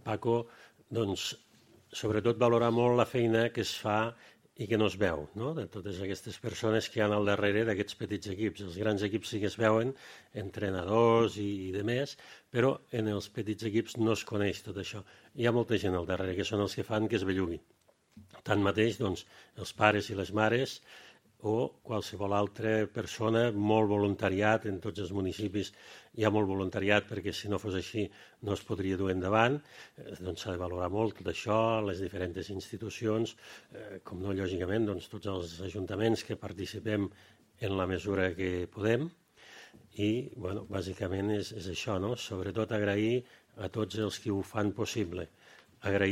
Paco, doncs, sobretot valorar molt la feina que es fa i que no es veu, no? De totes aquestes persones que hi ha al darrere d'aquests petits equips. Els grans equips sí que es veuen, entrenadors i demés, però en els petits equips no es coneix tot això. Hi ha molta gent al darrere que són els que fan que es bellugui. Tanmateix, doncs, els pares i les mares o qualsevol altra persona, molt voluntariat, en tots els municipis hi ha molt voluntariat perquè si no fos així no es podria dur endavant, doncs s'ha de valorar molt tot això, les diferents institucions, com no, lògicament, doncs tots els ajuntaments que participem en la mesura que podem i, bueno, bàsicament és això, no? Sobretot agrair a tots els que ho fan possible, agrair